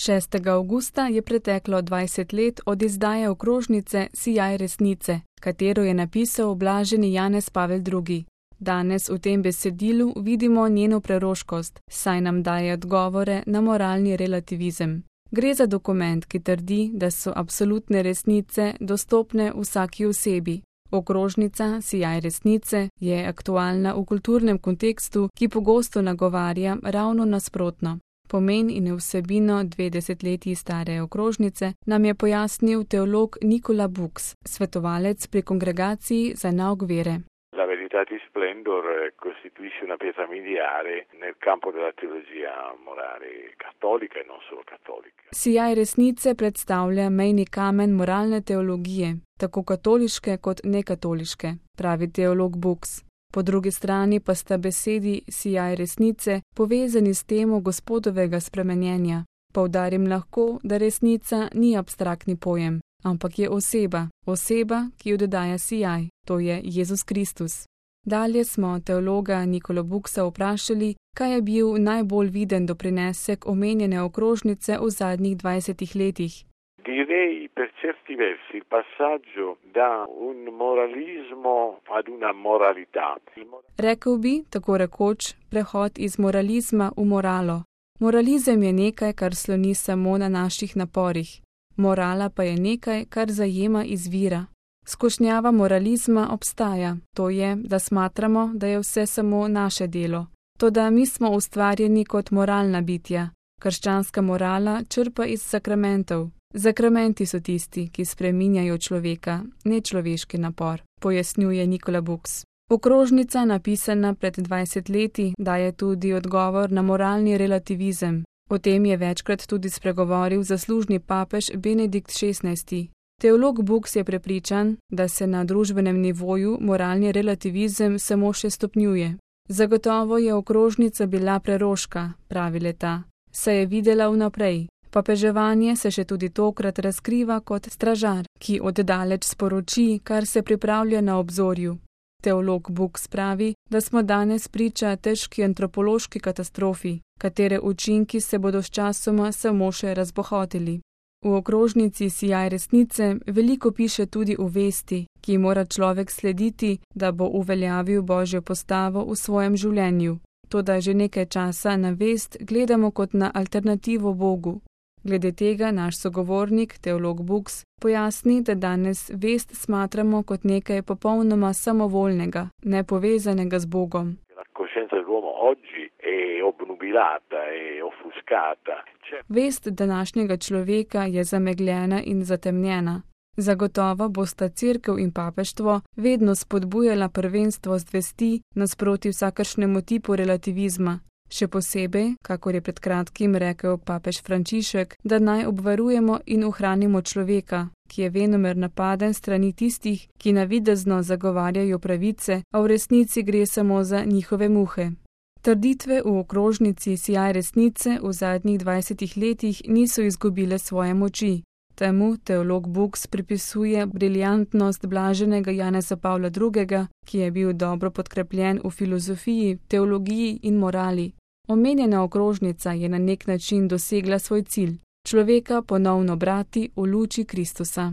6. avgusta je preteklo 20 let od izdaje okrožnice Sijaj resnice, katero je napisal blaženi Janez Pavel II. Danes v tem besedilu vidimo njeno preroškost, saj nam daje odgovore na moralni relativizem. Gre za dokument, ki trdi, da so absolutne resnice dostopne vsaki osebi. Okrožnica Sijaj resnice je aktualna v kulturnem kontekstu, ki pogosto nagovarja ravno nasprotno. Pomen in vsebino 2 desetletji stare okrožnice nam je pojasnil teolog Nicola Bux, svetovalec pri Kongregaciji za nauk vere. La Veritatis Splendor costituisce una pietra miliare nel campo della teologia morale cattolica e non solo cattolica. Sijaj resnice predstavlja mejni kamen moralne teologije, tako katoliške kot nekatoliške, pravi teolog Bux. Po drugi strani pa sta besedi sijaj resnice povezani s temo Gospodovega spremenjenja. Poudarim lahko, da resnica ni abstraktni pojem, ampak je oseba, ki jo dodaja sijaj, to je Jezus Kristus. Dalje smo teologa Nicola Buxa vprašali, kaj je bil najbolj viden doprinesek omenjene okrožnice v zadnjih 20 letih. Direi per certi versi il passaggio da un moralismo ad una moralità. Rekel bi, tako rekoč, prehod iz moralizma v moralo. Moralizem je nekaj, kar sloni samo na naših naporih. Morala pa je nekaj, kar zajema izvira. Skušnjava moralizma obstaja, to je, da smatramo, da je vse samo naše delo. Toda mi smo ustvarjeni kot moralna bitja. Krščanska morala črpa iz sakramentov. Zakramenti so tisti, ki spreminjajo človeka, ne človeški napor, pojasnjuje Nicola Bux. Okrožnica, napisana pred 20 leti, daje tudi odgovor na moralni relativizem. O tem je večkrat tudi spregovoril zaslužni papež Benedikt XVI. Teolog Bux je prepričan, da se na družbenem nivoju moralni relativizem samo še stopnjuje. Zagotovo je okrožnica bila preroška, pravi le-ta, saj je videla vnaprej. Papeževanje se še tudi tokrat razkriva kot stražar, ki oddaleč sporoči, kar se pripravlja na obzorju. Teolog Bux pravi, da smo danes priča težki antropološki katastrofi, katere učinki se bodo sčasoma samo še razbohotili. V okrožnici Sijaj resnice veliko piše tudi o vesti, ki mora človek slediti, da bo uveljavil Božjo postavo v svojem življenju. Toda že nekaj časa na vest gledamo kot na alternativo Bogu. Glede tega naš sogovornik, teolog Bux, pojasni, da danes vest smatramo kot nekaj popolnoma samovoljnega, nepovezanega z Bogom. Vest današnjega človeka je zamegljena in zatemnjena. Zagotovo bosta cerkev in papeštvo vedno spodbujala prvenstvo zvesti nasproti vsakršnemu tipu relativizma. Še posebej, kakor je pred kratkim rekel papež Frančišek, da naj obvarujemo in ohranimo človeka, ki je venomer napaden strani tistih, ki navidezno zagovarjajo pravice, a v resnici gre samo za njihove muhe. Trditve v okrožnici Sijaj resnice v zadnjih 20 letih niso izgubile svoje moči. Temu teolog Bux pripisuje briljantnost blaženega Janeza Pavla II., ki je bil dobro podkrepljen v filozofiji, teologiji in morali. Omenjena okrožnica je na nek način dosegla svoj cilj, človeka ponovno brati v luči Kristusa.